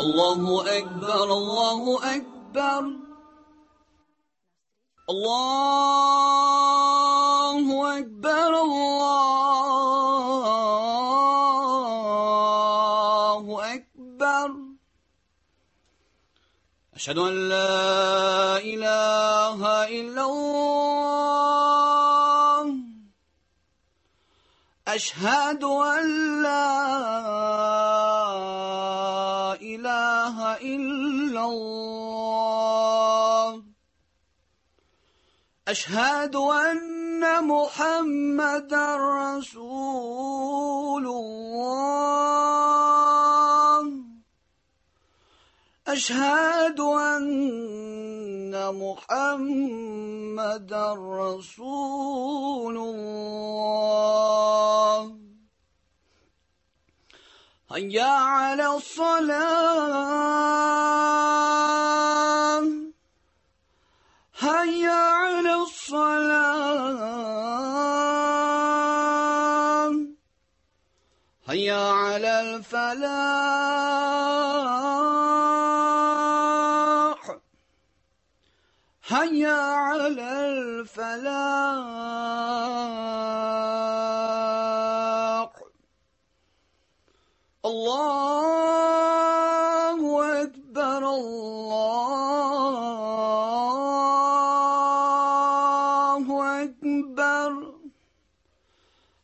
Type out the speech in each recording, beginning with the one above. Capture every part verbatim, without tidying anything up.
الله أكبر الله أكبر الله أكبر الله أكبر أشهد أن لا إله إلا الله أشهد أن لا إله إلا الله أشهد أن محمدا رسول الله أشهد أن محمدا رسول الله هيا على الصلاة هيا على الصلاة هيا على الفلاح هيا على الفلاح الله أكبر الله أكبر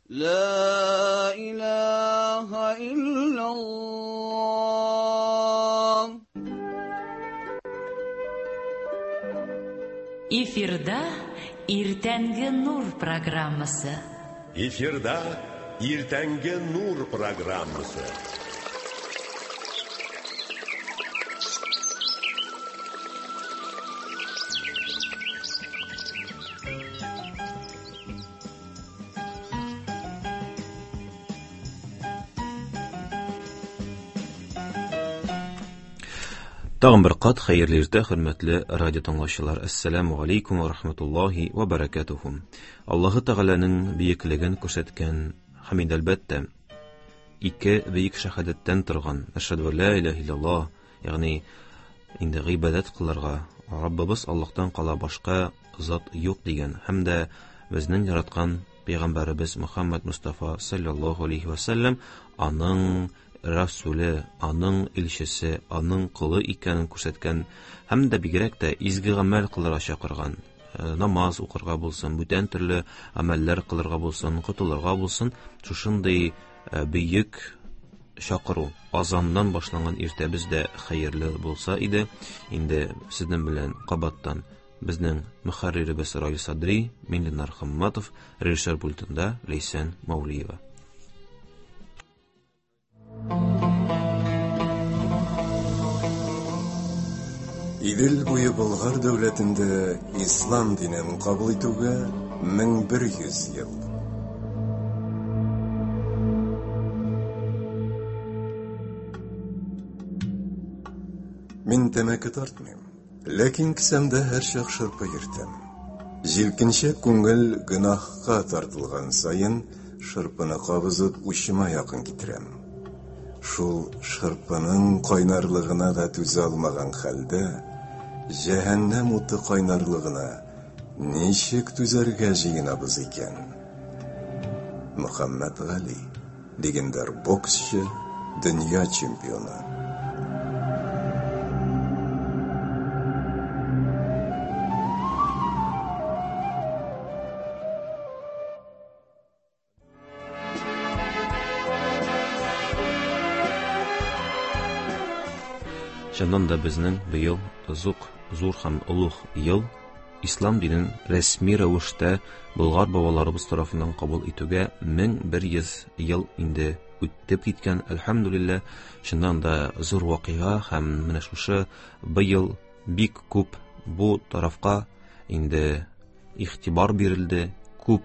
لا إله إلا الله. Эфирда Иртәнге Нур программасы. Эфирда Иртәнге Нур программасы. Тагын бер кат хәерле иртә, хөрмәтле радио тыңлаучылар. Ассаламу алейкум ва рахматуллахи ва баракатуху. Аллаһы Тәгаләнең бөеклеген күрсәткән һәм инде әлбәттә ике бөек шәһадәттән торган Әшһәдү ла илаһа иллаллаһ, ягъни инде гыйбадәт кылырга Раббыбыз Аллаһтан кала башка зат юк дигән һәм дә безнең яраткан пәйгамбәребез Мөхәммәд Мустафа саллаллаһу алейхи ва саллям аның Расуле, аның илчесе, аның колы икәнен күрсәткән һәм дә бигрәк тә изге гамәл кылырга чакырган, намаз укырга булсын, бүтән төрле гамәлләр кылырга булсын, котылырга булсын, шушындый бөек чакыру азаннан башланган иртәбез дә хәерле булса иде. Инде сезнең белән кабаттан безнең мөхәрриребез Раил Садри, мин Ленар Хамматов, режиссер пультында Ләйсән Маулиева. Идел буе Болгар дәүләтендә ислам динен кабул итүгә мең бер йөз ел. Мин тәмәке тартмыйм, ләкин кесәмдә һәрчак шырпы йөртәм. Җилкенчәк күңел гөнаһка тартылган саен шырпыны кабызып учыма якын китерәм. Шул шырпының кайнарлыгына да түзә алмаган хәлдә җәһәннәм уты кайнарлыгына ничек түзәргә җыенабыз икән? Мөхәммәд Гали, легендар боксчы, дөнья чемпионы. Чыннан да безнең быел зук, зур һәм олуг ел ислам динен рәсми рәвештә Болгар бабаларыбыз тарафыннан кабул итүгә мең бер йөз ел инде үтеп киткән. Әлхәмдүлилләһ, чыннан да зур вакыйга һәм менә шушы быел бик күп бу тарафка инде игътибар бирелде, күп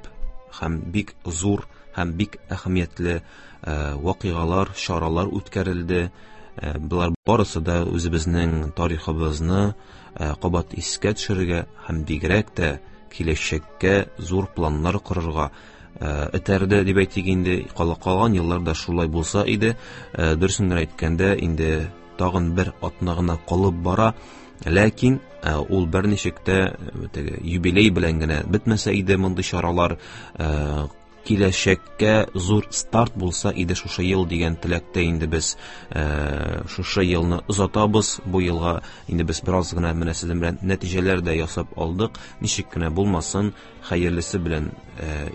һәм бик зур һәм бик әһәмиятле вакыйгалар, чаралар үткәрелде. Булар барысы да үзебезнең тарихыбызны кабат искә төшерергә һәм бигрәк тә киләчәккә зур планнар корырга этәрде дип әйтик инде. Калган елларда шулай булса иде. Дөресен генә әйткәндә, инде тагын бер атна гына калып бара. Ләкин ул берничек тә теге юбилей белән генә бетмәсә иде мондый чаралар, киләчәккә зур старт булса иде шушы ел дигән теләктә инде без шушы елны озатабыз. Бу елга инде без бераз гына менә сезнең белән нәтиҗәләр дә ясап алдык. Ничек кенә булмасын, хәерлесе белән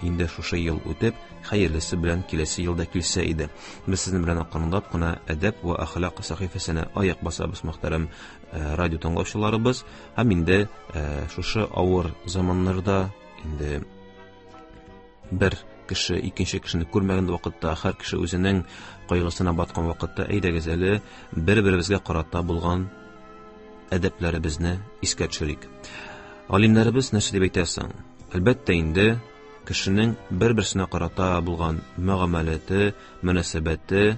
инде шушы ел үтеп, хәерлесе белән киләсе елда килсә иде. Без сезнең белән акрынлап кына әдәп ва әхлак сәхифәсенә аяк басабыз, мөхтәрәм радио тыңлаучыларыбыз. Һәм инде шушы авыр заманнарда инде бер кеше икенче кешене күрмәгән вакытта, һәр кеше үзенең кайгысына баткан вакытта, әйдәгез әле бер-беребезгә карата булган әдәпләребезне искә төшерик. Галимнәребез нәрсә дип әйтә соң? Әлбәттә инде кешенең бер-берсенә карата булган мөгамәләте, мөнәсәбәте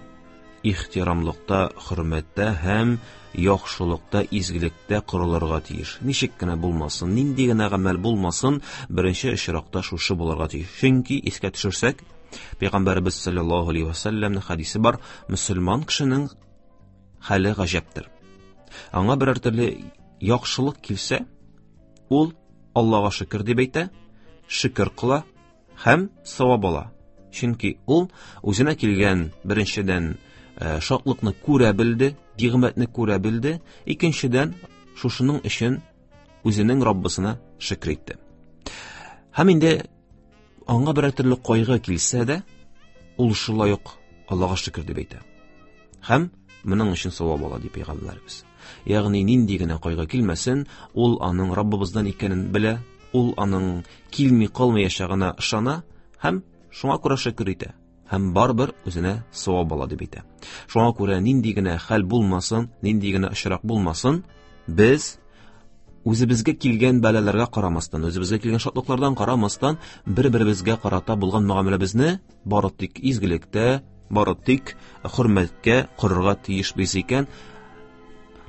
ихтирамлыкта, хөрмәттә һәм яхшылыкта, изгелектә корылырга тиеш. Ничек кенә булмасын, нинди генә гамәл булмасын, беренче очракта шушы булырга тиеш. Чөнки искә төшерсәк, Пәйгамбәребез саллаллаһу алейһи ва сәлләмнең хәдисе бар, мөселман кешенең хәле гаҗәптер. Аңа берәр төрле яхшылык килсә, ул Аллаһка шөкер дип әйтә, шөкер кыла һәм савап ала. Чөнки ул үзенә килгән беренчедән шатлыкны күрә белде, нигъмәтне күрә белде, икенчедән шушының өчен үзенең Раббысына шөкер итте. Һәм инде аңа берәр төрле кайгы килсә дә, ул шулай ук Аллаһка шөкер дип әйтә. Һәм моның өчен савап ала дип пәйгамбәребез. Ягъни нинди генә кайгы килмәсен, ул аның Раббыбыздан икәнен белә, ул аның килми калмаячагына ышана һәм шуңа күрә шөкер итә. Һәм барыбер үзенә савап ала дип әйтә. Шуңа күрә нинди генә хәл булмасын, нинди генә очрак булмасын, без үзебезгә килгән бәлаләргә карамастан, үзебезгә килгән шатлыклардан карамастан, бер-беребезгә карата булган мөгамәләбезне бары тик изгелектә, бары тик хөрмәткә корырга тиешбез икән,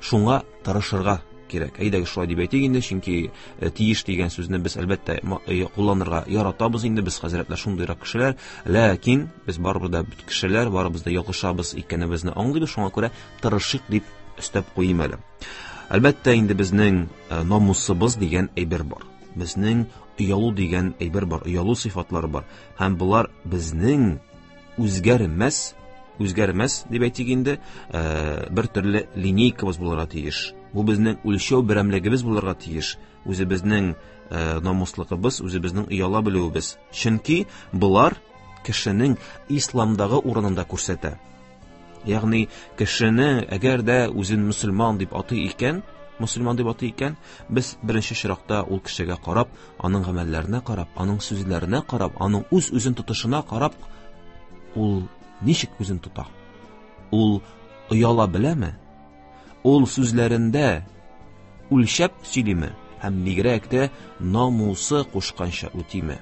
шуңа тырышырга кирәк. Әйдәгез шулай дип әйтик инде, чөнки тиеш дигән сүзне без әлбәттә кулланырга яратабыз инде, без хәзрәтләр шундыйрак кешеләр, ләкин без барыбер дә кешеләр, барыбыз да ялгышабыз икәнебезне аңлыйбыз, шуңа күрә тырышыйк дип өстәп куйым әле. Әлбәттә инде безнең намусыбыз дигән әйбер бар. Безнең оялу дигән әйбер бар, оялу сыйфатлары бар. Һәм болар безнең үзгәрмәс, үзгәрмәс дип әйтик инде, бер төрле линейкабыз булырга тиеш. Бу безнең үлчәү берәмлегебез булырга тиеш. Үзебезнең намуслыгыбыз, үзебезнең ояла белүебез. Чөнки болар кешенең исламдагы урынында күрсәтә. Ягъни кешене әгәр дә үзен мөселман дип атый икән, мөселман дип атый икән, без беренче чиракта ул кешегә карап, аның гамәлләренә карап, аның сүзләренә карап, аның үз-үзен тотышына карап, ул ничек үзен тота? Ул ояла беләме? Ул сүзләрендә үлчәп сөйлиме? Һәм бигрәк тә намусы кушканча үтиме?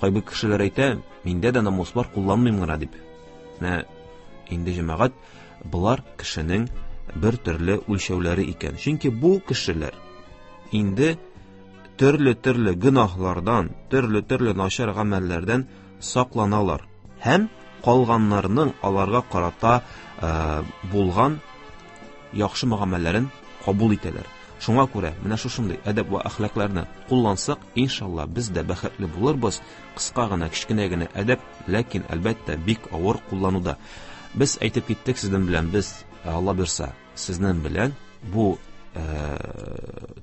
Кайбер кешеләр әйтә, миндә дә намус бар, кулланмыйм гына дип. Менә инде җәмәгать, болар кешенең бер төрле үлчәүләре икән. Чөнки бу кешеләр инде төрле-төрле гөнаһлардан, төрле-төрле начар гамәлләрдән сакланалар һәм калганнарның аларга карата булган яхшы мөгамәләләрен кабул итәләр. Шуңа күрә менә шушындый әдәп ва әхлакларны куллансак, иншалла без дә бәхетле булырбыз. Кыска гына, кечкенә генә әдәп, ләкин әлбәттә бик авыр куллануда. Без әйтеп киттек сезнең белән, без Алла бирсә, сезнең белән бу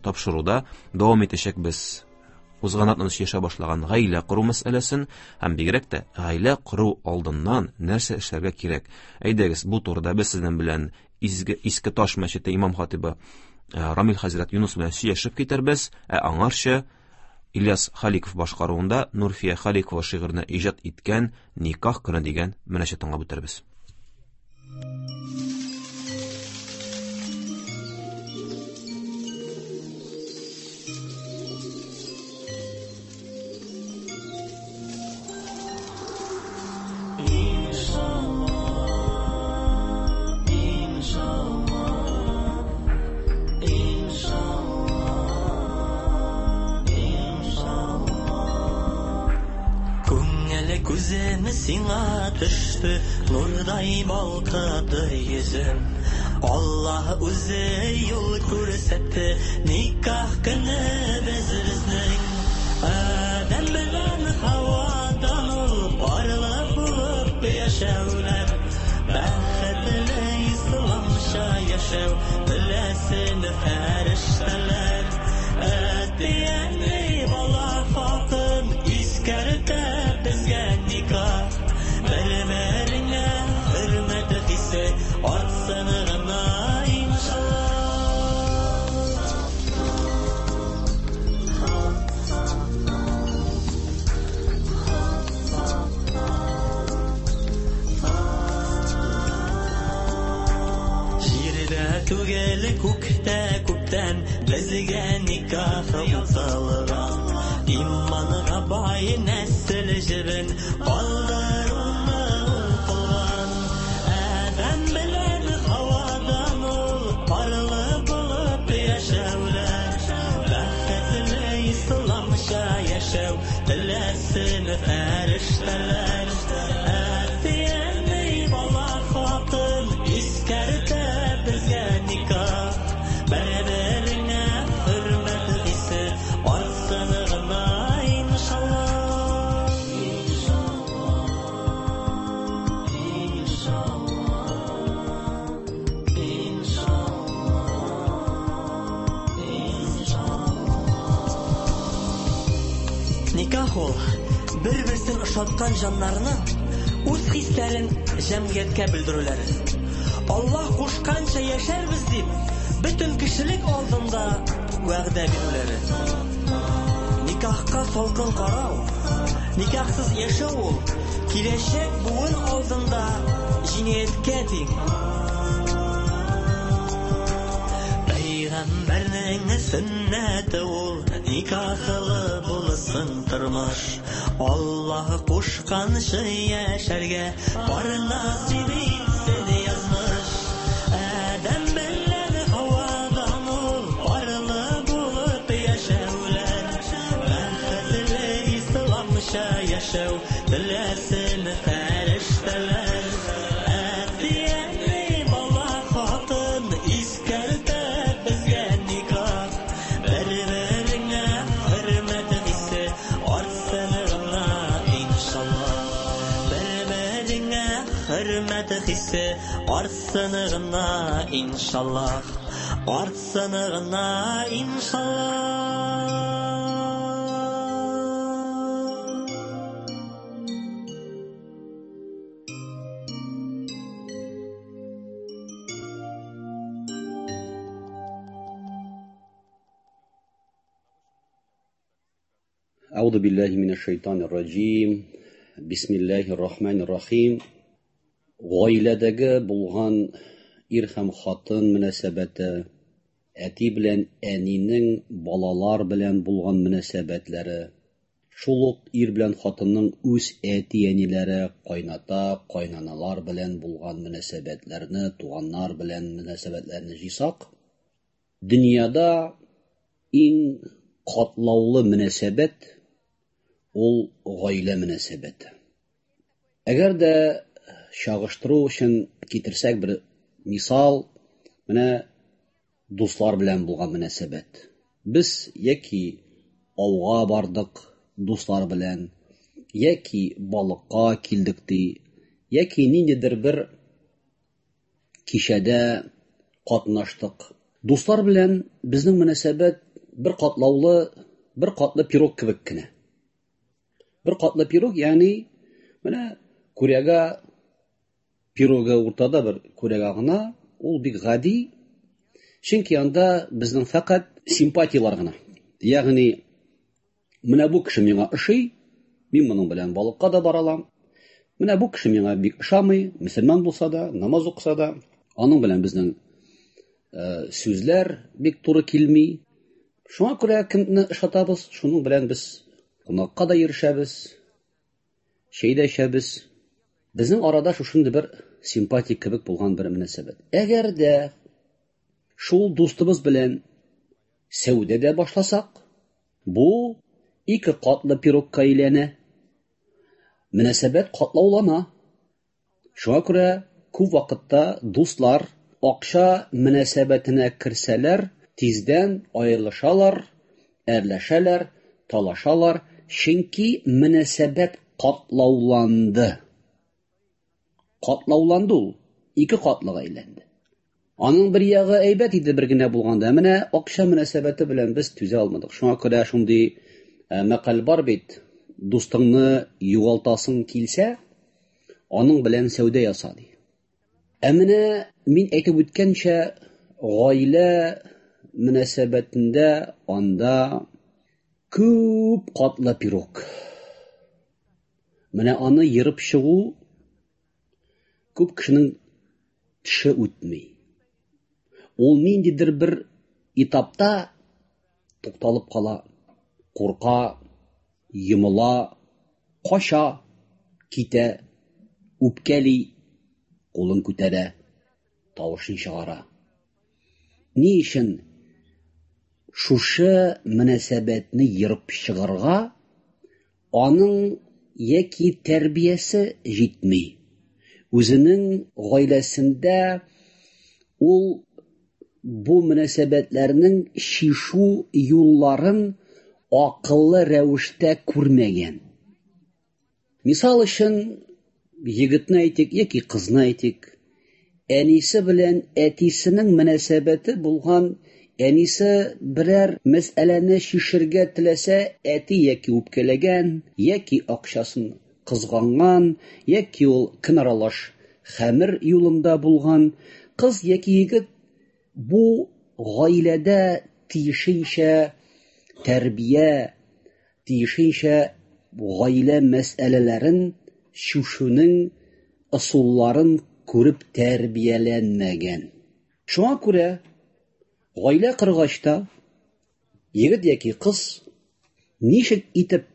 тапшыруда дәвам итәчәкбез. Узган атнада яшә башлаган гаилә кору мәсьәләсен һәм бигрәк тә гаилә кору алдыннан нәрсә эшләргә кирәк. Әйдәгез, бу турыда без сезнең белән Изге Иске Таш мәчете имам хатибы Рамил хәзрәт Юнус белән сөйләшеп китәрбез, ә аңарчы Ильяс Халиков башкаруында Нурфия Халикова шигырен иҗат иткән Никах көне дигән мөнәҗәт тыңлап үтербез. Күзем сиңа төште, нурдай балкыды йөзем. Аллаһ үзе юл күрсәтте, никах көне без безнең. Адәм белән Һавадан ул парлы булып яшәүләр, бәхетле исламча яшәү теләсен фәрештәләр. Әти-әни, бала, хатын искәртә безгә никах. Бер-береңә хөрмәт хисе артсын гына, иншалла. Җирдә түгел, күктә күптән безгә никах укылган. Иманга бай нәсел җебен калдыруны ул кылган. Адәм белән Һавадан ул парлы булып яшәүләр, бәхетле исламча яшәү теләсен фәрештәләр. Әти-әни, бала, хатын искәртә безгә никах. Бер-береңә хөрмәт хисе артсын гына, иншалла. Иншалла, иншалла, иншалла. Никах ул бер-берсен ошаткан җаннарның үз хисләрен җәмгыятькә белдерүләре. Аллаһ кушканча яшәрбез дип, бөтен кешелек алдында вәгъдә бирүләре. Никахка салкын карау, никахсыз яшәү ул киләчәк буын алдында җинаятькә тиң. Пәйгамбәрнең сөннәте ул никахлы булсын тормыш. Аллаһ кушканча яшәргә бар насыйп итсен язмыш. Адәм белән Һавадан ул парлы булып яшәүләр, бәхетле исламча яшәү теләсен фәрештәләр. Әти-әни, бала, хатын искәртә безгә никах. Бер-береңә хөрмәт хисе артсын гына, иншалла. Бер-береңә хөрмәт хисе артсын гына, иншалла. Артсын гына, иншалла. أعوذ بالله من الشيطان الرجيم. بسم الله الرحمن الرحيم. Гаиләдәге булган ир һәм хатын мөнәсәбәте, әти белән әнинең балалар белән булган мөнәсәбәтләре, шул ук ир белән хатынның үз әти-әниләре, кайната, кайнаналар белән булган мөнәсәбәтләрне, туганнар белән мөнәсәбәтләрне җыйсак, дөньяда иң катлаулы мөнәсәбәт ул гаилә мөнәсәбәте. Әгәр дә чагыштыру өчен китерсәк бер мисал, менә дуслар белән булган мөнәсәбәт. Без яки ауга бардык дуслар белән, яки балыкка килдек ди, яки ниндидер бер кичәдә катнаштык. Дуслар белән безнең мөнәсәбәт бер катлаулы, бер катлы пирог кебек кенә. Бер катлы пирог, ягъни менә күрәгә пирогы уртада бер күрәгә гына, ул бик гади, чөнки анда безнең фәкать симпатиялар гына. Ягъни менә бу кеше миңа ошый, мин моның белән балыкка да бара алам. Менә бу кеше миңа бик ошамый, мөселман булса да, намаз укыса да, аның белән безнең э, сүзләр бик туры килми. Шуңа күрә кемне ошатабыз, шуның белән без кунакка да йөрешәбез, чәй дә эчәбез. Безнең арада шушындый бер симпатик кебек булган бер мөнәсәбәт. Әгәр дә шул дустыбыз белән сәүдә дә башласак, бу ике катлы пирогка әйләнә. Мөнәсәбәт катлаулана. Шуңа күрә күп вакытта дуслар акча мөнәсәбәтенә керсәләр, тиздән аерылышалар, әрләшәләр, талашалар, чөнки мөнәсәбәт катлауланды. Катлауланды ул, ике катлыга әйләнде. Аның бер ягы әйбәт иде бер генә булганда, менә акча мөнәсәбәте белән без түзә алмадык. Шуңа күрә шундый мәкаль бар бит: дустыңны югалтасың килсә, аның белән сәүдә яса, ди. Ә менә мин әйтеп үткәнчә, гаилә мөнәсәбәтендә анда күп катлы пирог. Менә аны ерып чыгу күп кешенең теше үтми. Ул ниндидер бер этапта тукталып кала, курка, йомыла, кача, китә, үпкәли, кулын күтәрә, тавышын чыгара. Ни өчен шушы мөнәсәбәтне ерып чыгарга аның яки тәрбиясе җитми. Үзенең гаиләсендә ул бу мөнәсәбәтләрнең чишү юлларын акыллы рәвештә күрмәгән. Мисал өчен, егетне әйтик яки кызны әйтик, әнисе белән әтисенең мөнәсәбәте булган, әнисе берәр мәсьәләне чишергә теләсә, әти яки үпкәләгән, яки акчасын кызганган, яки ул көн аралаш хәмер юлында булган, кыз яки егет бу гаиләдә тиешенчә тәрбия, тиешенчә гаилә мәсьәләләрен чишүнең ысулларын күреп тәрбияләнмәгән. Шуңа күрә гаилә коргач та егет яки кыз ничек итеп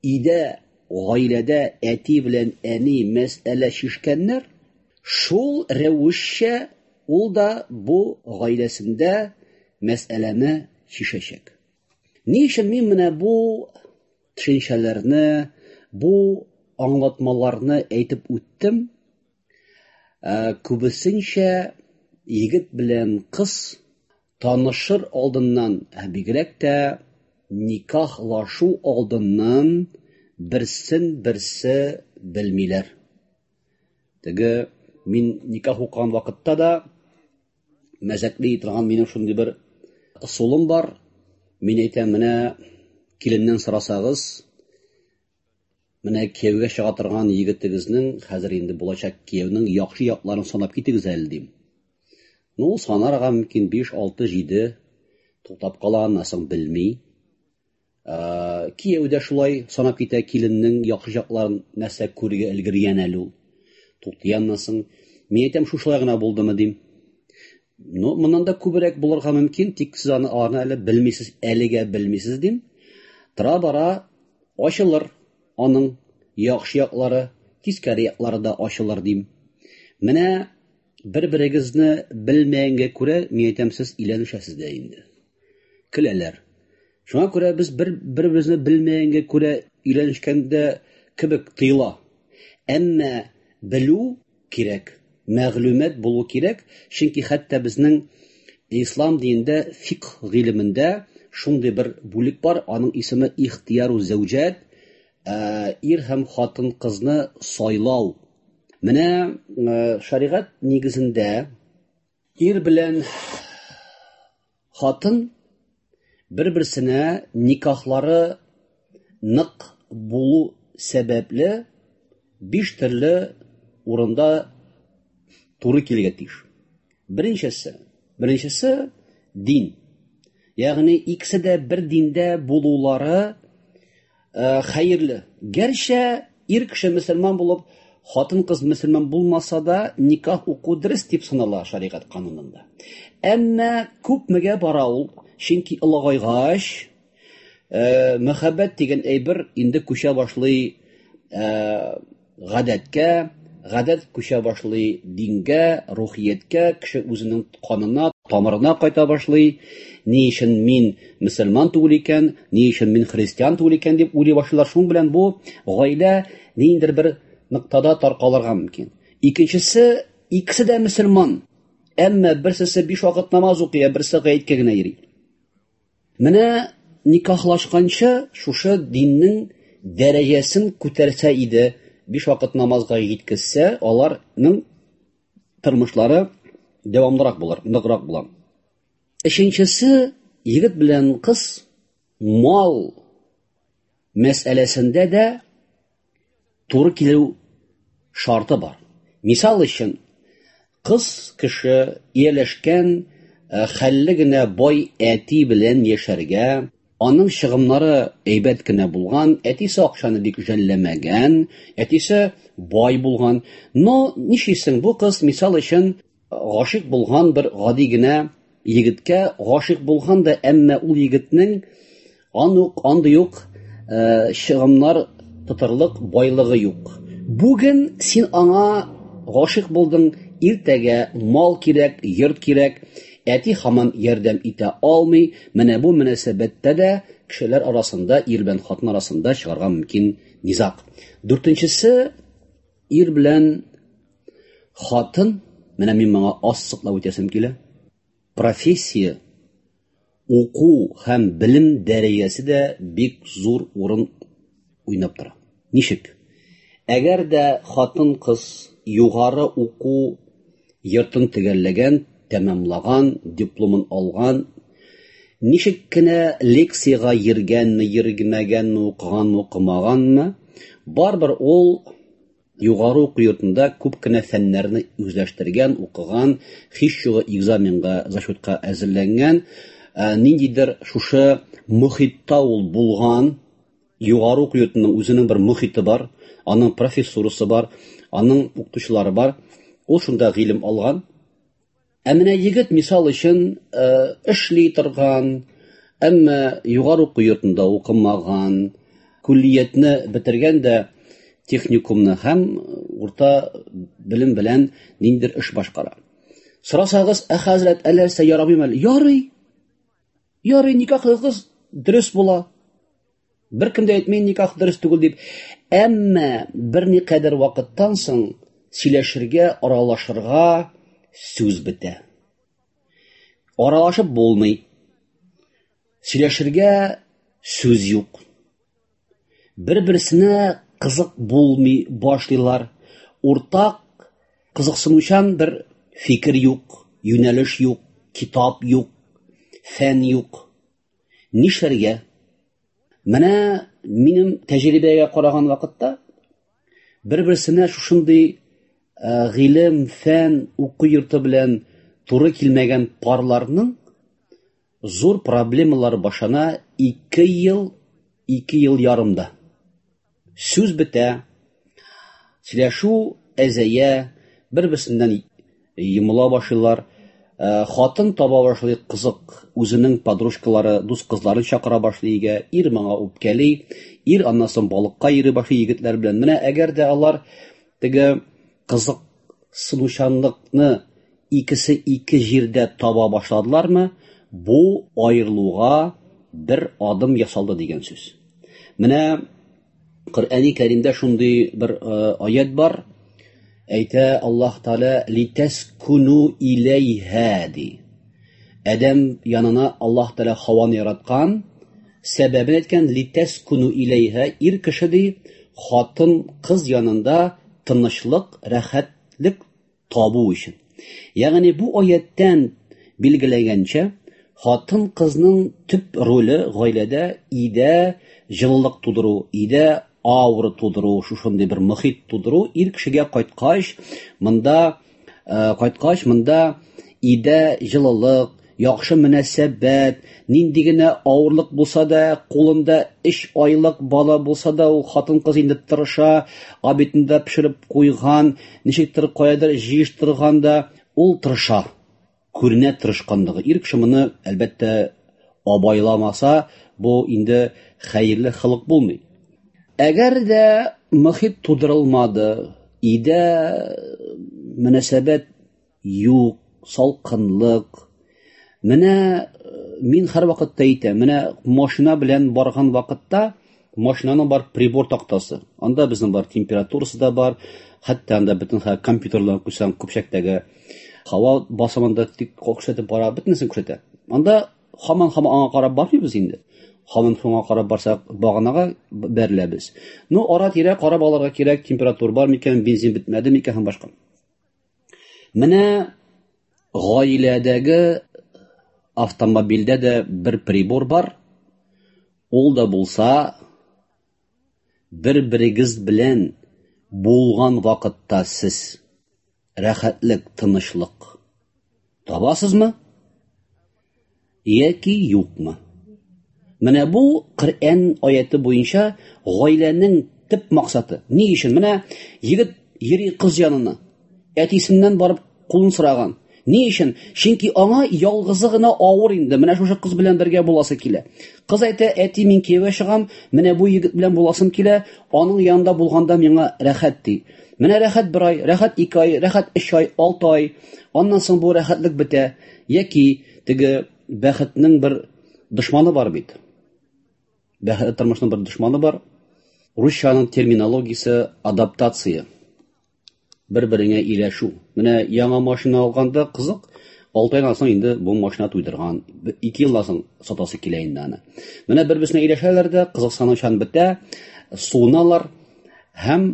өйдә, гаиләдә әти белән әни мәсьәлә чишкәннәр, шул рәвешчә ул да бу гаиләсендә мәсьәләне чишәчәк. Ни өчен мин менә бу төшенчәләрне, бу аңлатмаларны әйтеп үттем? Ә, күбесенчә егет белән кыз танышыр алдыннан, ә бигрәк тә никахлашу алдыннан берсен берсе белмиләр. Теге мин никах укыган вакытта да мәзәкли торган минем шундый бер ысулым бар. Мин әйтәм, менә киленнән сорасагыз, менә кияүгә чыга торган егетегезнең, хәзер инде булачак кияүнең яхшы якларын санап китегез әле, дим. Ну, санарга мөмкин биш, алты, җиде, туктап кала, аннан соң белми. Ә, кияү дә шулай санап китә киленнең яхшы якларын, нәрсә күрергә өлгергән әле ул. Туктый аннан соң. Мин әйтәм, шушылай гына булдымы, дим. Ну, моннан да күбрәк булырга мөмкин, тик сез аны аны әле белмисез, әлегә белмисез, дим. Тора бара ачылыр аның яхшы яклары, тискәре яклары да ачылыр, дим. Менә бер-берегезне белмәгәнгә күрә, мин әйтәм, сез өйләнешәсез дә инде. Көләләр. Шуңа күрә без бер беребезне белмәгәнгә күрә өйләнешкәндә кебек тыела. Әмма белү кирәк, мәгълүмат булу кирәк, чөнки хәтта безнең ислам динендә фикх гыйлемендә шундый бер бүлек бар, аның исеме ихтияру зәүҗәт, ир һәм хатын кызны сайлау. Менә шәригать нигезендә ир белән хатын бер-берсенә никахлары нык булу сәбәпле биш төрле урында туры килергә тиеш. Беренчесе, беренчесе дин. Ягъни икесе дә бер диндә булулары хәерле. Гәрчә ир кеше мөселман булып, хатын кыз мөселман булмаса да, никах уку дөрес дип санала шәригать канунында. Әмма күпмегә бара ул, чөнки олыгайгач, мәхәббәт дигән әйбер инде күчә башлый гадәткә, гадәт күчә башлый дингә, рухияткә, кеше үзенең канына, тамырына кайта башлый. Ни өчен мин мөселман түгел икән, ни өчен мин христиан түгел икән дип уйлый башлыйлар. Шуның белән бу гаилә ниндидер бер ноктада таркалырга мөмкин. Икенчесе, икесе дә мөселман, Әмма берсесе биш вакыт намаз укый, ә берсе гаеткә генә йөри. Менә никахлашканчы шушы диннең дәрәҗәсен күтәрсә иде, биш вакыт намазга җиткезсә, аларның тормышлары дәвамлырак булыр, ныграк була. Өченчесе, егет белән кыз мал мәсьәләсендә дә туры килү шарты бар. Мисал өчен, кыз кеше ияләшкән хәлле генә бай әти белән яшәргә, аның чыгымнары әйбәт кенә булган, әтисе акчаны бик жәлләмәгән, әтисе бай булган. Но нишлисең, бу кыз мисал өчен гашыйк булган бер гади генә егеткә гашыйк булган да, әмма ул егетнең анук андый ук чыгымнар тотарлык байлыгы юк. Бүген син аңа гашыйк булдың, иртәгә мал кирәк, йорт кирәк, әти һаман ярдәм итә алмый. Менә бу мөнәсәбәттә дә кешеләр арасында, ир белән хатын арасында чыгарга мөмкин низаг. Дүртенчесе, ир белән хатын, менә мин моңа ассыклап үтәсем килә. Профессия, уку һәм белем дәрәҗәсе дә бик зур урын уйнап тора. Ничек? Әгәр дә хатын-кыз югары уку йортын төгәлләгән, тәмамлаган, дипломын алган, ничек кенә лекциягә йөргәнме, йөрмәгәнме, укыганмы, укымаганмы, барыбер ул югары уку йортында күп кенә фәннәрне үзләштергән, укыган, һич югы экзаменга, зачетка әзерләнгән, ниндидер шушы мохитта ул булган. Югары уку йортының үзенең бер мохите бар, аның профессурасы бар, аның укытучылары бар. Ул шунда гыйлем алган. Ә менә егет мисал өчен эшли торган, әмма югары уку йортында укымаган, күллиятне бетергән дә техникумны һәм урта белем белән ниндидер эш башкара. Сорасагыз, ә хәзрәт, әллә ярамыймы әле? Ярый. Ярый, никахлыгыз дөрес була. Бер кем дә әйтми никах дөрес түгел дип. Әмма берникадәр вакыттан соң сөйләшергә, аралашырга сүз бетә. Аралашып булмый. Сөйләшергә сүз юк. Бер-берсенә кызык булмый башлыйлар. Уртак кызыксынучан бер фикер юк, юнәлеш юк, китап юк, фән юк. Нишләргә? Менә минем тәҗрибәгә караган вакытта бер-берсенә шушындый гыйлем, фән, уку йорты белән туры килмәгән парларның зур проблемалары башлана ике ел, ике ел ярымда. Сүз бетә, сөйләшү әзәя, бер-берсеннән йомыла башлыйлар. Хатын таба башлый, кызык, үзенең подружкалары, дус кызларын чакыра башлый өйгә, ир моңа үпкәли, ир аннан соң балыкка йөри башлый егетләр белән. Менә әгәр дә алар теге кызыксынучанлыкны икесе ике җирдә таба башладылармы, бу аерылуга бер адым ясалды дигән сүз. Менә Коръәни Кәримдә шундый бер аят бар. Әйтә Аллаһ Тәгалә литәскуну иләйһа ди. Адәм янына Аллаһ Тәгалә Хаваны яраткан, сәбәбен әйткән литәскуну иләйһа, ир кеше ди, хатын кыз янында тынычлык, рәхәтлек табу өчен. Ягъни бу аяттан билгеләгәнчә, хатын кызның төп роле гаиләдә өйдә җылылык тудыру, өйдә аура тудыру, шушындый бер мохит тудыру. Ир кешегә кайткач, монда кайткач, монда өйдә җылылык, яхшы мөнәсәбәт, нинди генә авырлык булса да, кулында өч айлык бала булса да, ул хатын-кыз инде тырыша, обедын да пешереп куйган, ничектер каядыр җыештырган да, ул тырыша. Күренә тырышканлыгы. Ир кеше моны әлбәттә абайламаса, бу инде хәерле холык булмый. Әгәр дә мохит тудырылмады, өйдә мөнәсәбәт юк, салкынлык. Менә мин һәр вакытта әйтәм, менә машина белән барган вакытта машинаның бар прибор тактасы. Анда безнең бар температурасы да бар, хәтта анда бөтен компьютерлар куйсаң, көпчәктәге Һава басымын да тик күрсәтеп бара, бөтенесен күрсәтә. Анда һаман-һаман аңа карап бармыйбыз инде. Һаман шуңа карап барсак, баганага бәреләбез. Ну, ара-тирә карап алырга кирәк, температура бар микән, бензин бетмәде микән һәм башка. Менә гаиләдәге автомобильдә дә бер прибор бар. Ул да булса, бер-берегез белән булган вакытта сез рәхәтлек, тынычлык табасызмы яки юкмы? Менә бу Коръән аяты буенча гаиләнең төп максаты. Ни өчен? Менә егет йөри кыз янына, әтисеннән барып кулын сораган. Ни өчен? Чөнки аңа ялгызы гына авыр инде. Менә шушы кыз белән бергә буласы килә. Кыз әйтә, әти, мин кияүгә чыгам, менә бу егет белән буласым килә, аның янында булганда миңа рәхәт ди. Менә рәхәт бер ай, рәхәт ике ай, рәхәт өч ай, алты ай. Аннан соң бу рәхәтлек бетә. Яки теге бәхетнең бер дошманы бар бит. Бәхетле тормышның бер дошманы бар. Русчаның терминологиясе адаптация. Бер-береңә ияләшү. Менә яңа машина алганда кызык, алты айдан соң инде бу машина туйдырган, ике елдан соң сатасы килә инде аны. Менә бер-берсенә ияләшәләр дә, кызыксынучан бетә, суыналар һәм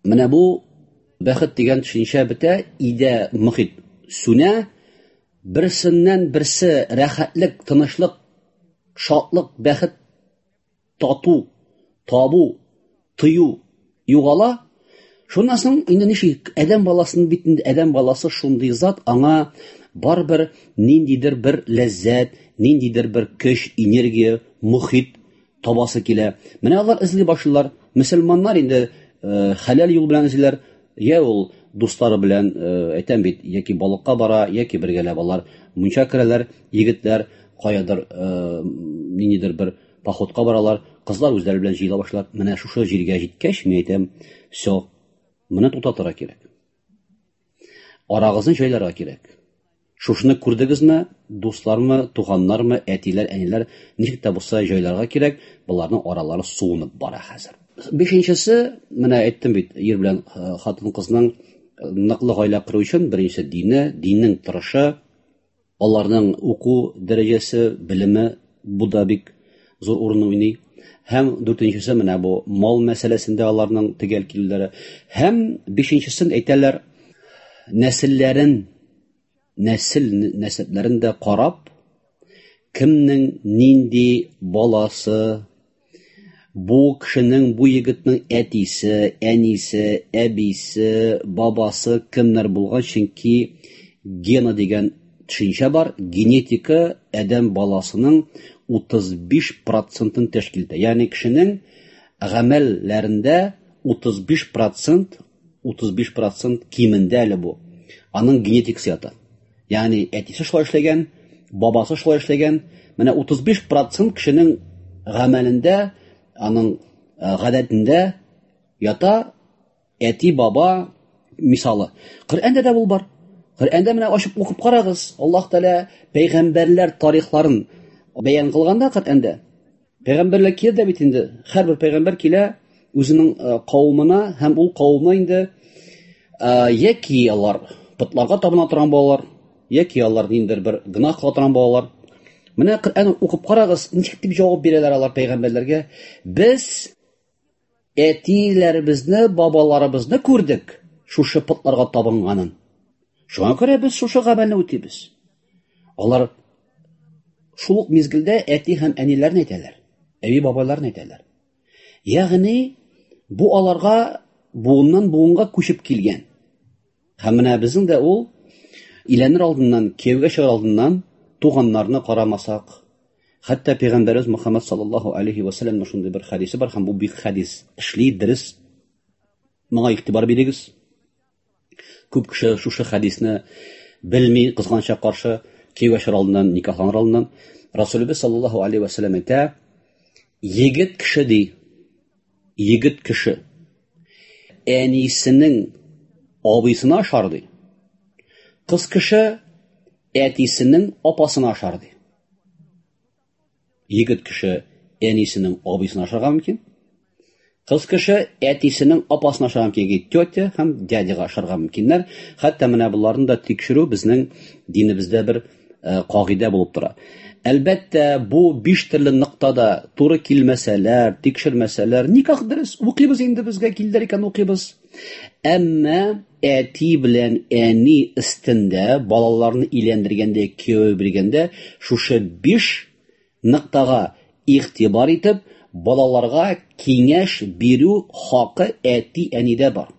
менә бу бәхет дигән төшенчә бетә, өйдә мохит сүнә, берсеннән берсе рәхәтлек, тынычлык, шатлык, бәхет, тату, табу, тыю югала. Шуннан соң инде ничек адәм баласының бит инде адәм баласы шундый зат, аңа барыбер ниндидер бер ләззәт, ниндидер бер көч, энергия, мохит табасы килә. Менә алар эзли башлыйлар. Мөселманнар инде хәләл юл белән эзлиләр. Я ул дуслары белән, әйтәм бит, яки балыкка бара, яки бергәләп алар мунча керәләр, егетләр каядыр ниндидер бер походка баралар, кызлар үзләре белән җыела башлар. Менә шушы җиргә җиткәч, мин әйтәм, всё, моны туктатырга кирәк. Арагызны җайларга кирәк. Шушыны күрдегезме, дуслармы, туганнармы, әтиләр, әниләр, ничек тә булса җайларга кирәк, буларның аралары суынып бара хәзер. Бишенчесе, менә әйттем бит, ир белән хатын-кызның ныклы гаилә кору өчен беренче дине, диннең торышы, аларның уку дәрәҗәсе, белеме, бу да бик зур урын уйный. Һәм дүртенчесе менә бу мал мәсьәләсендә аларның төгәл килүләре. Һәм бишенчесен әйтәләр, нәселләрен, нәсел нәсәпләрен дә карап, кемнең нинди баласы, бу кешенең, бу егетнең әтисе, әнисе, әбисе, бабасы кемнәр булган, чөнки гена дигән төшенчә бар, генетика адәм баласының утыз биш процентын тәшкил итә. Ягъни кешенең гамәлләрендә утыз биш процент, утыз биш процент кимендә әле бу. Аның генетикасы ята. Ягъни әтисе шулай эшләгән, бабасы шулай эшләгән. Менә утыз биш процент кешенең гамәлендә, аның гадәтендә ята әти, баба мисалы. Коръәндә дә бу бар. Коръәндә менә ачып укып карагыз. Аллаһ Тәгалә пәйгамбәрләр тарихларын бәян кылганда Коръәндә пәйгамбәрләр килә дә бит инде. Һәрбер пәйгамбәр килә үзенең кавымына һәм ул кавымы инде яки алар потларга табына торган балалар, яки алар ниндидер бер гөнаһ кыла торган балалар. Менә Коръән укып карагыз, ничек дип җавап бирәләр алар пәйгамбәрләргә? Без әтиләребезне, бабаларыбызны күрдек шушы потларга табынганын. Шуңа күрә без шушы гамәлне үтибез. Алар шул ук мизгелдә әти һәм әниләрне әйтәләр, әби бабайларны әйтәләр. Ягъни бу аларга буыннан буынга күчеп килгән. Һәм менә безнең дә ул иләнер алдыннан, кияүгә чыгар алдыннан туганнарны карамасак, хәтта пәйгамбәребез Мөхәммәд саллаллаһу алейхи ва саллямның шундый бер хадисе бар, һәм бу бик хадис эшли, дөрес. Моңа игътибар бирегез. Күп кеше шушы хадисне белми, кызганча каршы кияүгә чыгар алдыннан, никахланыр алдыннан Расулыбыз саллаллаһу алейхи ва саллям әйтә: егет кеше ди, егет кеше әнисенең абыйсына ашар ди. Кыз кеше әтисенең апасына ашар ди. Егет кеше әнисенең абыйсына ашарга мөмкин, Кыз кеше әтисенең апасына ошарга мөмкин, тетя һәм дядяга ошарга мөмкиннәр. Хәтта менә боларны да тикшерү безнең динебездә бер кагыйдә булып тора. Әлбәттә, бу биш төрле ноктада туры килмәсәләр, тикшермәсәләр, никах дөрес, укыйбыз инде, безгә килдер икән, укыйбыз. Әмма әти белән әни өстендә балаларны өйләндергәндә, кияү биргәндә шушы биш ноктага игътибар итеп, балаларга киңәш бирү хакы әти-әнидә бар.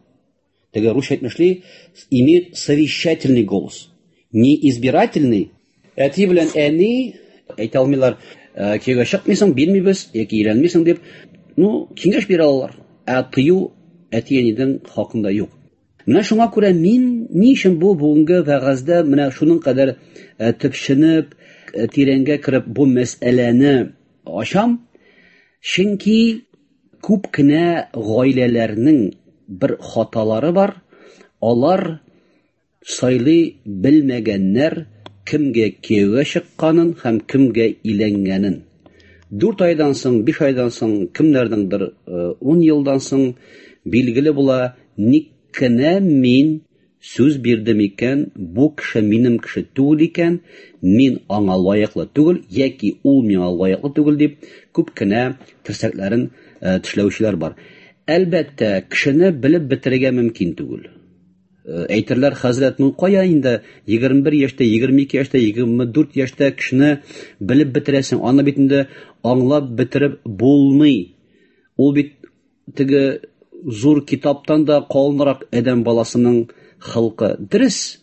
Теге русча әйтмешли, имеет совещательный голос, не избирательный. Әти белән әни әйтә алмыйлар, кияүгә чыкмыйсың, бирмибез, яки өйләнмисең дип, ну, киңәш бирә алалар. Ә тыю әти-әнидең хакында юк. Менә шуңа күрә мин ни өчен бу бүгенге вәгазьдә менә шуның кадәр төпченеп, тирәнгә кереп бу мәсьәләне ачам? Чөнки күп кенә гаиләләрнең бер хаталары бар. Алар сайлый белмәгәннәр кемгә кияүгә чыкканын һәм кемгә өйләнгәнен. Дүрт айдан соң, биш айдан соң, кемнәрнеңдер ун елдан соң билгеле була, ник кенә мин сүз бирдем икән, бу кеше минем кеше түгел икән, мин аңа лаеклы түгел, яки ул миңа лаеклы түгел дип күп кенә терсәкләрен тешләүчеләр бар. Әлбәттә, кешене белеп бетерергә мөмкин түгел. Әйтерләр, хәзрәт, ну кая инде егерме бер яшьтә, егерме ике яшьтә, егерме дүрт яшьтә кешене белеп бетерәсең, аны бит инде аңлап бетереп булмый. Ул бит теге зур китаптан да калынрак адәм баласының халкы. Дөрес,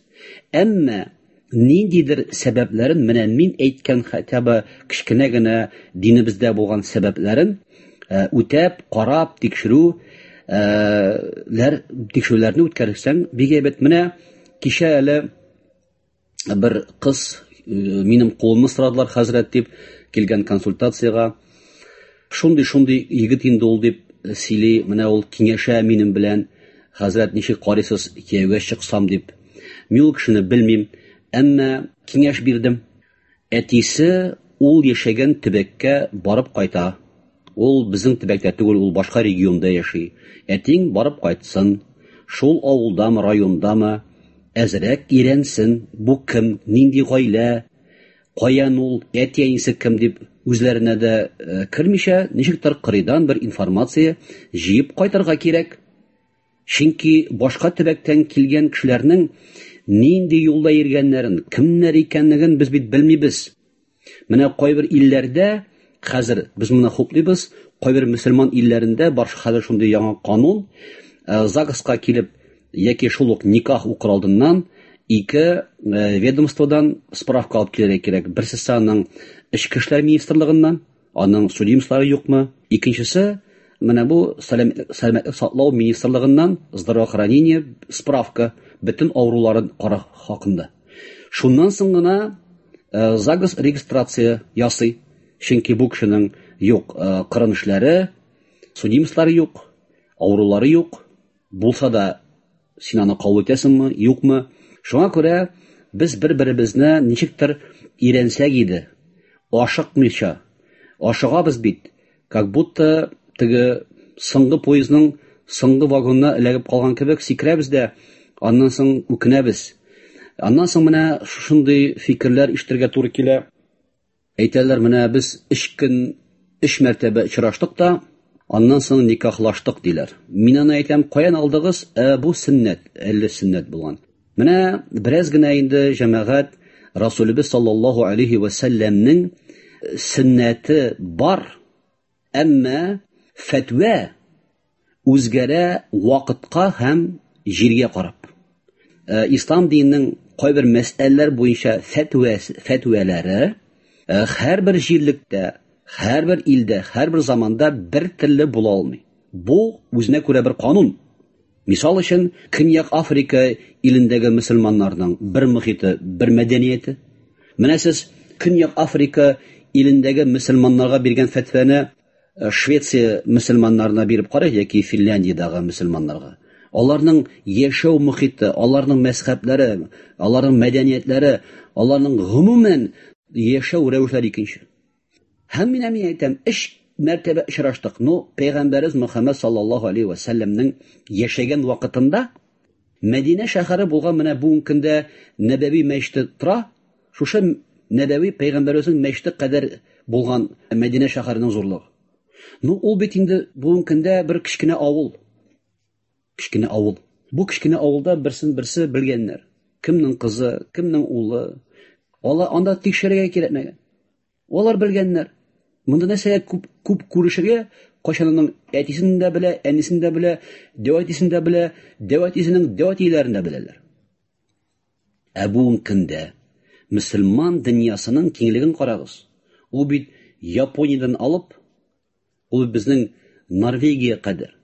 әмма ниндидер сәбәпләрен, менә мин әйткән хотя бы кечкенә генә динебездә булган сәбәпләрен үтәп, карап, тикшерү ләр, тикшерүләрне үткәрсәң бик әйбәт. Менә кичә әле бер кыз минем кулымны сорадылар, хәзрәт дип килгән консультациягә. Шундый-шундый егет инде ул дип сөйли, менә ул киңәшә минем белән, хәзрәт, ничек карыйсыз, кияүгә чыксам дип. Мин ул кешене белмим, әмма киңәш бирдем. Әтисе ул яшәгән төбәккә барып кайта. Ул безнең төбәктә түгел, ул башка регионда яши. Әтиң барып кайтсын, шул авылдамы, райондамы, әзрәк өйрәнсен, бу кем, нинди гаилә, каян ул, әти-әнисе кем дип үзләренә дә кермичә, ничектер кырыйдан бер информация җыеп кайтырга кирәк. Чөнки башка төбәктән килгән кешеләрнең нинди юлда йөргәннәрен, кемнәр икәнлеген без бит белмибез. Менә кайбер илләрдә хәзер без моны хуплыйбыз, кайбер мөселман илләрендә бар хәзер шундый яңа канун, ЗАГСка килеп яки шул ук никах укыр алдыннан ике ведомстводан справка алып килергә кирәк. Берсе аның Эчке эшләр министрлыгыннан, аның судимстволары юкмы? Икенчесе менә бу сәламәтлек саклау министрлыгыннан, здравоохранение справка, бөтен авыруларын карау хакында. Шуннан соң гына ЗАГС регистрация ясый. Чөнки бу кешенең юк кырын эшләре, судимстволары юк, авырулары юк. Булса да син аны кабул итәсеңме, юкмы? Шуңа күрә без бер-беребезне ничектер өйрәнсәк иде, ашыкмыйча. Ашыгабыз бит, как будто теге соңгы поездның соңгы вагонына эләгеп калган кебек сикерәбез дә, аннан соң үкенәбез. Аннан соң менә шушындый фикерләр ишетергә туры килә. Әйтәләр, менә без өч көн, өч мәртәбә очраштык та, аннан соң никахлаштык диләр. Мин аны әйтәм, каян алдыгыз? Ә, бу сөннәт, әллә сөннәт булган. Менә бераз генә инде җәмәгать Расулыбыз саллаллаһу алейхи ва сәлләмнең сөннәте бар, әмма фәтвә үзгәрә вакытка һәм җиргә карап. Ислам диненең кайбер мәсьәләләр буенча фәтвә, фәтвәләре һәрбер җирлектә, һәрбер илдә, һәрбер заманда бер төрле була алмый. Бу үзенә күрә бер канун. Мисал өчен, Көньяк Африка илендәге мөселманнарның бер мөхите, бер мәдәнияте. Менә сез Көньяк Африка илендәге мөселманнарга биргән фәтвәне Швеция мөселманнарына биреп карый яки Финляндиядәге мөселманнарга. Аларның яшәү мөхите, аларның мәзһәбләре, аларның мәдәниятләре, аларның гомумән яшәү рәвешләре икенче. Һәм мин әйтәм, өч мәртәбә очраштык. Ну, Пәйгамбәребез Мөхәммәд саллаллаһу алейһи ва сәлләмнең яшәгән вакытында Мәдинә шәһәре булган менә бүгенге көндә Нәбәви мәчете тора. Шушы Нәбәви пәйгамбәребезнең мәчете кадәр булган Мәдинә шәһәренең зурлыгы. Ну, ул бит инде бүгенге көндә бер кечкенә авыл. Кечкенә авыл. Бу кечкенә авылда берсен берсе белгәннәр. Кемнең кызы, кемнең улы. Алар анда тикшерергә кирәкмәгән. Алар белгәннәр. Монда нәрсәгә күп күп күрешергә, кайчан аның әтисен дә белә, әнисен дә белә, дәү әтисен дә белә, дәү әтисенең дәү әтиләрен дә беләләр. Ә бүгенге көндә мөселман дөньясының киңлеген карагыз. Ул бит Япониядән алып, ул безнең Норвегия кадәр.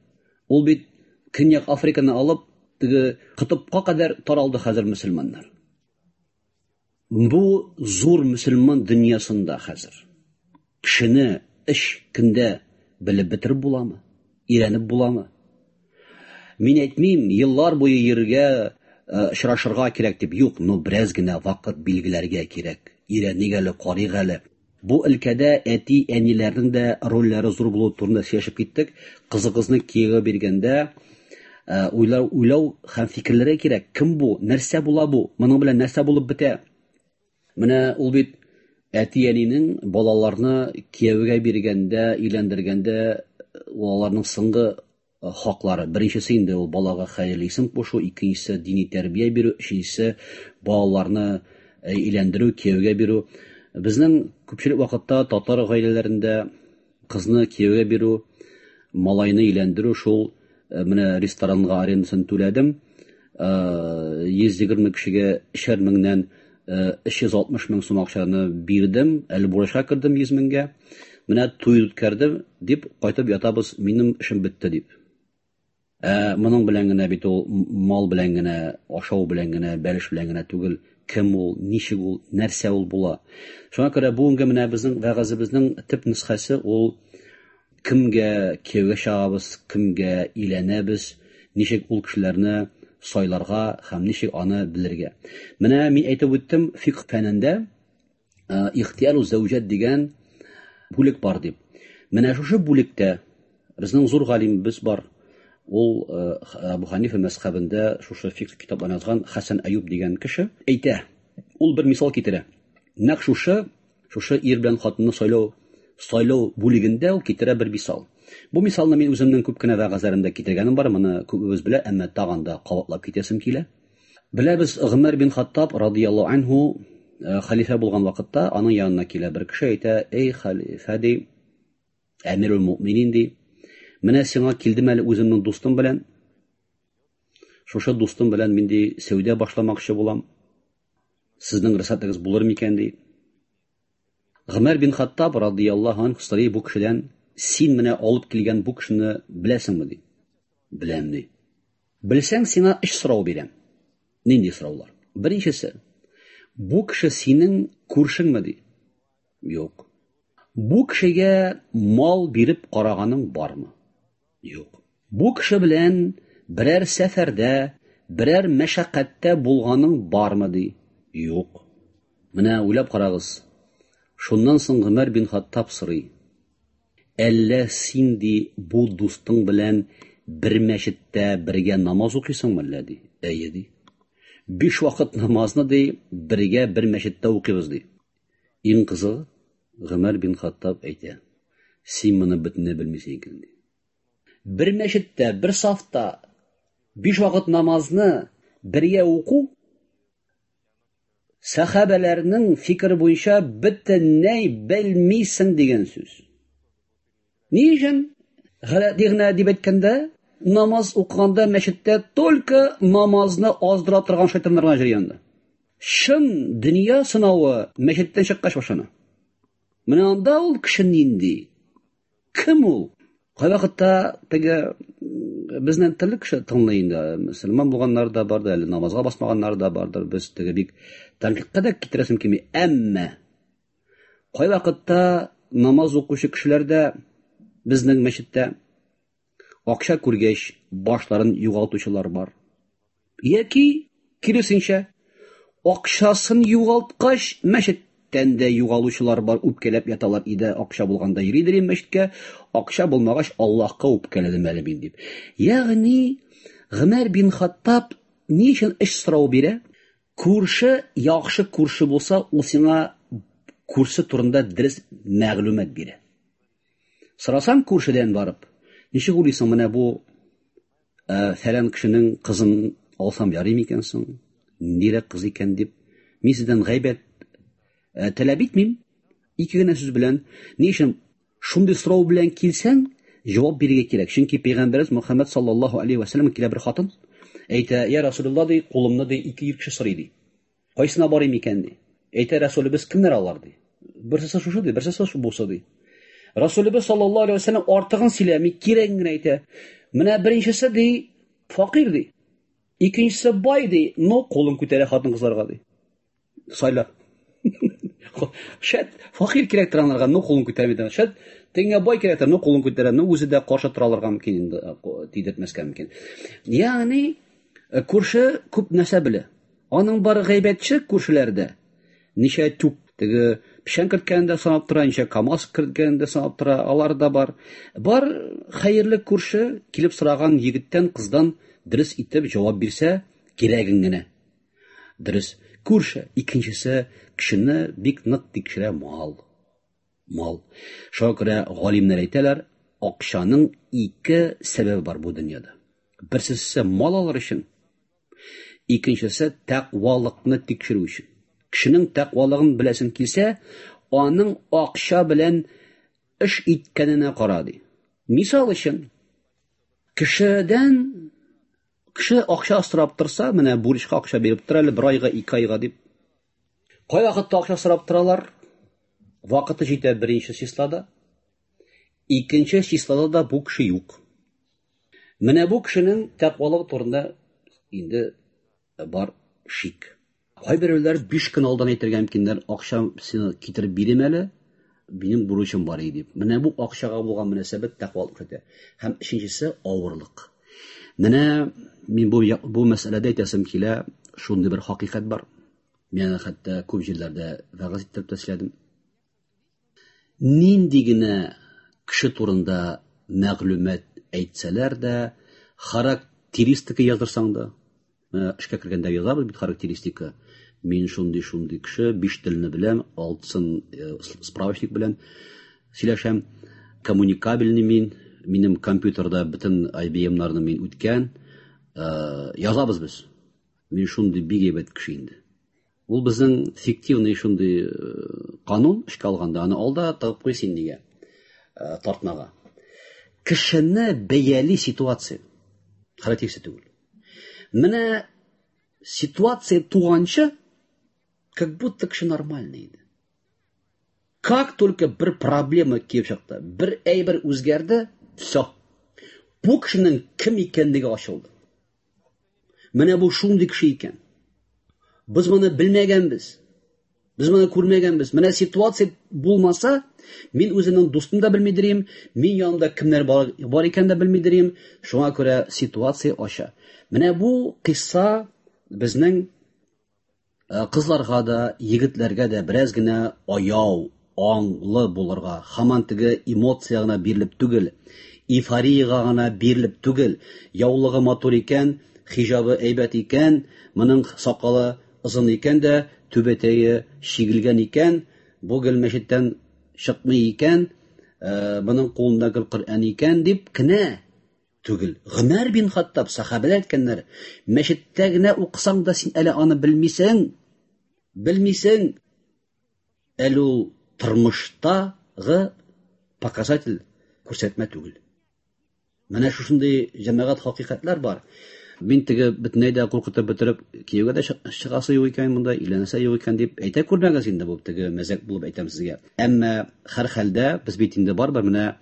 Ул бит Көньяк Африканы алып, теге Кытыпка кадәр таралды хәзер мөселманнар. Бу зур мөселман дөньясында хәзер кешене өч көндә белеп бетереп буламы? Өйрәнеп буламы? Мин әйтмим, еллар буе йөрергә, очрашырга кирәк дип, юк, но бераз генә вакыт билгеләргә кирәк. Өйрәник әле, карыйк әле. Бу өлкәдә әти-әниләрнең дә рольләре зур булуы турында сөйләшеп киттек. Кызыгызны кияүгә биргәндә уйлау, уйлау һәм фикерләргә кирәк. Кем бу? Нәрсә була бу? Моның белән нәрсә булып бетә? Менә ул бит әти-әнинең балаларны кияүгә биргәндә, өйләндергәндә аларның соңгы хаклары. Беренчесе инде ул балага хәерле исем кушу, икенчесе дини тәрбия бирү, өченчесе балаларны өйләндерү, кияүгә бирү. Безнең күпчелек вакытта татар гаиләләрендә кызны кияүгә бирү, малайны өйләндерү шул менә ресторанга арендасын түләдем. йөз егерме кешегә өчәр меңнән өч йөз алтмыш мең сум акчаны бирдем, әле бурычка кердем йөз меңгә. Менә туй үткәрдем дип кайтып ятабыз, минем эшем бетте дип. Ә моның белән генә бит ул мал белән генә, ашау белән генә, бәлеш белән генә түгел, кем ул, ничек ул, нәрсә ул була. Шуңа күрә бүгенге менә безнең вәгазебезнең төп нөсхәсе ул кемгә кияүгә чыгабыз, кемгә өйләнәбез, ничек ул кешеләрне сайларга һәм ничек аны белергә. Менә мин әйтеп үттем, фикх фәнендә ихтияру зәүҗәт дигән бүлек бар дип. Менә шушы бүлектә безнең зур галимебез бар. Ул Абу Ханифа мәзхәбендә шушы фикх китапларын язган Хәсән Аюб дигән кеше әйтә. Ул бер мисал китерә. Нәкъ шушы, шушы ир белән хатынны сайлау, сайлау бүлегендә ул китерә бер мисал. Бу мисалны мин үземнең күп кенә вәгазьләремдә китергәнем бар, моны күбебез белә, әмма тагын да кабатлап китәсем килә. Беләбез, Гомәр бин Хаттаб радияллаһу анһу хәлифә булган вакытта аның янына килә бер кеше, әйтә: "Эй хәлифә, ди, әмирул муъминин, ди, менә сиңа килдем әле үземнең дустым белән. Шушы дустым белән мин ди сәүдә башламакчы булам. Сезнең рөхсәтегез булыр микән, ди. Гомәр бин Хаттаб радияллаһу анһу сорый бу кешедән: "Син менә алып килгән бу кешене беләсеңме?" ди. "Беләм", ди. "Белсәң, сиңа өч сорау бирәм." Нинди сораулар? Беренчесе: бу кеше синең күршеңме, ди? Юк. Бу кешегә мал биреп караганың бармы? Юк. Бу кеше белән берәр сәфәрдә, берәр мәшәкатьтә булганың бармы, ди? Юк. Менә уйлап карагыз. Шуннан соң Гомәр бин Хаттаб сорый: "Әллә син, ди, бу дустың белән бер мәчеттә бергә намаз укыйсыңмы әллә?" ди. "Әйе", ди. "Биш вакыт намазны, ди, бергә бер мәчеттә укыйбыз", ди. Иң кызыгы, Гомәр бин Хаттаб әйтә: "Син моны бөтенләй белмисең икән", ди. Бер мәчеттә, бер сафта биш вакыт намазны бергә уку сәхабәләрнең фикере буенча бөтенләй белмисең дигән сүз. Ни өчен? Галәти генә дип әйткәндә, намаз укыганда мәчеттә только намазны аздыра торган шайтаннар гына йөри анда. Чын дөнья сынавы мәчеттән чыккач башлана. Менә анда ул кеше нинди? Кем ул? Кайвакытта теге безнең төрле кеше тыңлый инде. Мөселман булганнар да бар да, әле намазга басмаганнар да бардыр. Без теге бик тәнкыйтькә дә китерәсем килми. Әмма кайвакытта намаз укучы кешеләр дә безнең мәчеттә акча күргәч башларын югалтучылар бар. Яки киресенчә, акчасын югалткач мәчеткә Мәчеттән дә югалучылар бар, үпкәләп яталар иде, акча булганда йөридер мәчеткә, акча булмагач Аллаһка үпкәләдем әле мин дип. Ягъни Гомәр бин Хаттаб ни өчен эш сорау бирә? Күрше яхшы күрше булса, ул сиңа күрше турында дөрес мәгълүмат бирә. Сорасаң күршедән барып, ничек уйлыйсың, менә бу фәлән кешенең кызын алсам ярый микән соң? Ниндирәк кыз икән дип, мин сездән гайбәт таләп итмим. Ике генә сүз белән, ни өчен шундый сорау белән килсәң, җавап бирергә кирәк. Чөнки Пәйгамбәребез Мөхәммәд саллаллаһу алейһи ва сәлләм килә бер хатын, әйтә: "Я Расулуллаһ, ди, кулымны ди ике ир кеше сорый ди. Кайсына барыйм икән ди?" Әйтә Расулыбыз: "Кемнәр алар ди? Берсе шушы ди, берсе бусы ди." Расулыбыз саллаллаһу алейһи ва сәлләм артыгын сөйләми, кирәген генә әйтә. Менә беренчесе ди, факир ди. Икенчесе бай ди, но кулын күтәрә хатын-кызларга ди. Сайла. Шәт факир кирәк торганнарга, но кулын күтәрми. Шәт теңгә бай кирәк, но кулын күтәрә, но үзе дә каршы тора алырга мөмкин инде, тидертмәскә мөмкин. Ягъни күрше күп нәрсә белә. Аның бар гайбәтче күршеләрдә. Ничә түп теге печән керткәндә санап тора, ничә КАМАЗ керткәндә санап тора, алар да бар. Бар хәерле күрше килеп сораган егеттән, кыздан дөрес итеп җавап бирсә, кирәген генә. Дөрес. Күрше. Икенчесе кешене бик нык тикшерә мал. Мал. Шуңа күрә галимнәр әйтәләр, акчаның ике сәбәбе бар бу дөньяда. Берсесе мал алыр өчен, икенчесе тәкъвалыкны тикшерү өчен. Кешенең тәкъвалыгын беләсең килсә, аның акча белән эш иткәненә кара ди. Мисал өчен, кешедән кеше акча сорап торса, менә бурычка акча биреп тора әле бер айга, ике айга дип. Кай вакытта акча сорап торалар? Вакыты җитә беренче числода. Икенче числода да бу кеше юк. Менә бу кешенең тәкъвалыгы турында инде бар шик. Кайберәүләр биш көн алдан әйтергә мөмкиннәр, акча сине китереп бирим әле, минем бурычым бар иде дип. Менә бу акчага булган мөнәсәбәт тәкъвалык күрсәтә. Һәм өченчесе авырлык. Менә мин бу бу мәсьәләдә әйтәсем килә, шундый бер хакыйкать бар. Мин хәтта күп җирләрдә вәгазь итеп тә сөйләдем. Нинди генә кеше турында мәгълүмат әйтсәләр дә, характеристика яздырсаң да, эшкә кергәндә язабыз бит характеристика. Мин шундый-шундый кеше, биш телне беләм, алтысын справочник белән сөйләшәм, коммуникабельный мин, минем компьютерда бөтен ай би эм-нарны мин үткән, язабыз без. Мин шундый бик әйбәт кеше инде. Ул безнең фиктивный шундый канун эшкә алганда, аны алда тыгып куй син дигән тартмага. Кешене бәяли ситуация характеристика түгел. Менә ситуация туганчы, как будто кеше нормальный иде. Как только бер проблема килеп чыкты, бер әйбер үзгәрде, всё. Бу кешенең кем икәнлеге ачылды. Менә бу шундый кеше икән. Без моны белмәгәнбез. Без моны күрмәгәнбез. Менә ситуация булмаса, мин үземнең дустым да белмидерим, мин янымда кемнәр бар, бар икән дә белмидерим. Шуңа күрә ситуация ача. Менә бу кыйсса безнең кызларга да, егетләргә дә бераз генә аяу, аңлы булырга, һаман теге эмоция гына бирелеп түгел, эйфорияга гына бирелеп түгел, яулыгы матур икән, хиҗабы әйбәт икән, моның сакалы озын икән дә, түбәтәе чигелгән икән, бу гел мәчеттән чыкмый икән, моның кулында гел Коръән икән дип кенә түгел. Гомәр бин Хаттаб сахабәләр әйткәннәр, мәчеттә генә укысаң да син әле аны белмисең, белмисең. Әле ул тормыштагы показатель күрсәтмә түгел. Менә шушындый җәмәгать хакыйкатьләр бар. Мин теге бөтенләй дә куркытып бетереп, кияүгә дә чыгасы юк икән монда, өйләнәсе юк икән дип әйтә күрмәгез инде, бу теге мәзәк булып әйтәм сезгә. Әмма һәр хәлдә без бит инде барыбер менә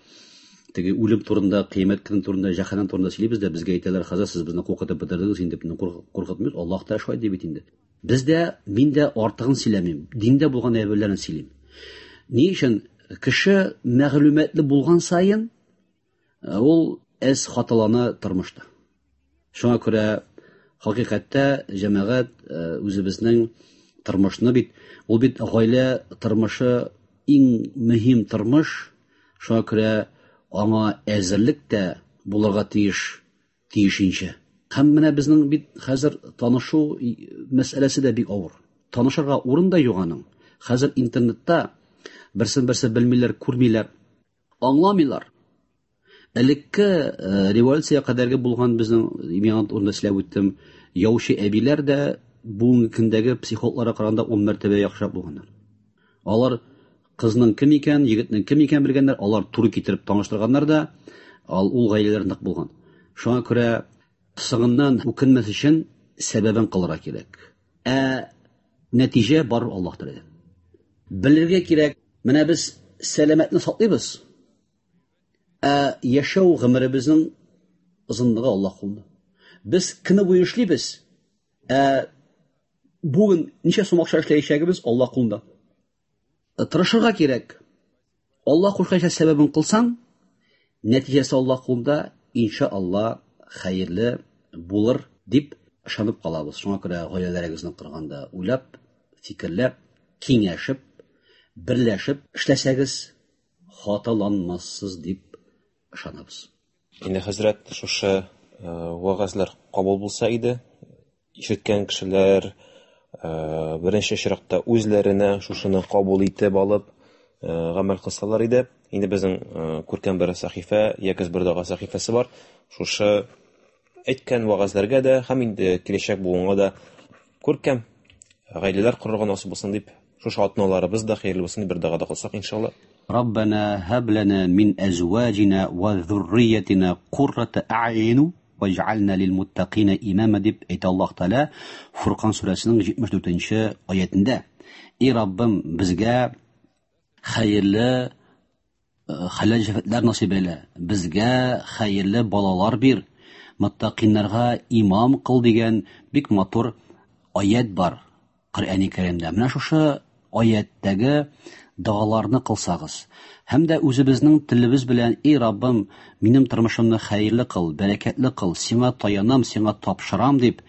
теге үлем турында, кыямәт көне турында, җәһәннәм турында сөйлибез дә, безгә әйтәләр, хәзер сез безне куркытып бетердегез инде, безне куркытмыйбыз, Аллаһ та шулай ди бит инде. Без дә, мин дә артыгын сөйләмим, диндә булган әйберләрне сөйлим. Ни өчен кеше мәгълүматлы булган саен ул әз хаталана тормышта. Шуңа күрә хакыйкатьтә җәмәгать үзебезнең Тормышны бит, ул бит гаилә тормышы иң мөһим тормыш, шуңа күрә аңа әзерлек тә булырга тиеш, тиешенчә. Һәм менә безнең бит хәзер танышу мәсьәләсе дә бик авыр. Танышырга урын да юк аның. Хәзер интернетта берсен-берсе белмиләр, күрмиләр, аңламыйлар. Элекке революция кадәрге булган безнең, миңа урында сөйләп үттем, яучы әбиләр дә бүгенге көндәге психологларга караганда ун мәртәбә яхшырак булганнар. Алар кызның кем икән, егетнең кем икән белгәннәр, алар туры китереп таныштырганнар да, ул гаиләләр нык булган. Шуңа күрә соңыннан үкенмәс өчен сәбәбен кылырга кирәк. Ә нәтиҗә бар Аллаһ Тәгаләдән. Белергә кирәк, менә без сәламәтне саклыйбыз. Ә яшәү гомеребезнең озынлыгы Аллаһ кулында. Без көне буе эшлибез. Ә бүген ничә сум акча эшләячәгебез Аллаһ кулында. Тырышырга кирәк. Аллаһ кушканча сәбәбен кылсаң, нәтиҗәсе Аллаһ кулында, иншалла хәерле булыр дип ышанып калабыз. Шуңа күрә гаиләләрегезне корганда уйлап, фикерләп, киңәшеп, берләшеп эшләсәгез, хаталанмассыз дип ышанабыз. Инде хәзрәт, шушы вәгазьләр кабул булса иде, ишеткән кешеләр беренче чиратта үзләренә шушыны кабул итеп алып гамәл кылсалар иде. Инде безнең күркәм бер сәхифә, Якез бер дога сәхифәсе бар. Шушы әйткән вәгазьләргә дә һәм инде киләчәк буынга да күркәм гаиләләр корырга насыйп булсын дип, шушы атналарыбыз да хәерле булсын дип бер дога да кылсак иншалла. Раббана һаб лана мин азваҗина ва зурриятина куррата а'юн ваҗ'ална лил-муттақина имама дип әйтә Аллаһ Тәгалә Фуркан сүрәсенең җитмеш дүртенче аятендә. Эй Раббым, безгә хәерле хәләл җефетләр насыйп әйлә, безгә хәерле балалар бир, муттақиннарга имам кыл дигән бик матур аят бар Коръәни Кәримдә. Менә шушы аяттәге догаларны кылсагыз һәм дә үзебезнең телебез белән: "Эй Раббым, минем тормышымны хәерле кыл, бәрәкәтле кыл, сиңа таянам, сиңа тапшырам" дип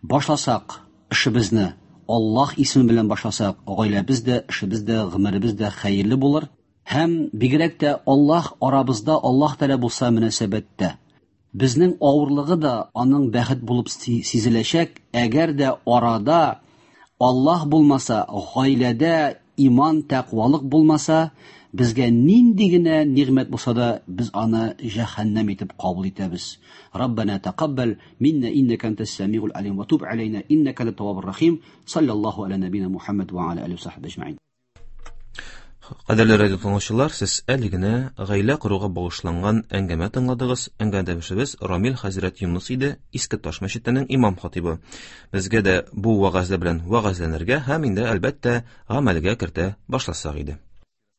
башласак эшебезне, Аллаһ исеме белән башласак, гаиләбез дә, эшебез дә, гомеребез дә хәерле булыр. Һәм бигрәк тә Аллаһ арабызда, Аллаһ Тәгалә булса мөнәсәбәттә, безнең авырлыгы да аның бәхет булып сизеләчәк. Әгәр дә арада Аллаһ булмаса, гаиләдә иман, тәкъвалык булмаса, безгә нинди генә нигъмәт булса да, без аны җәһәннәм итеп кабул итәбез. Раббана тақаббал минна иннака антас самиул алим ва туб алейна иннака антат таввабур рахим. Саллаллаху аля набина Мухаммад ва аля алихи ва сахбихи ажмаин. Кадерле радио тыңлаучылар, сез әле генә гаилә коруга багышланган әңгәмә тыңладыгыз. Әңгәмәдәшебез Рамил хәзрәт Юныс иде, Иске Таш мәчетенең имам хатибы. Безгә дә бу вәгазьләр белән вәгазьләнергә һәм инде әлбәттә гамәлгә кертә башласак иде.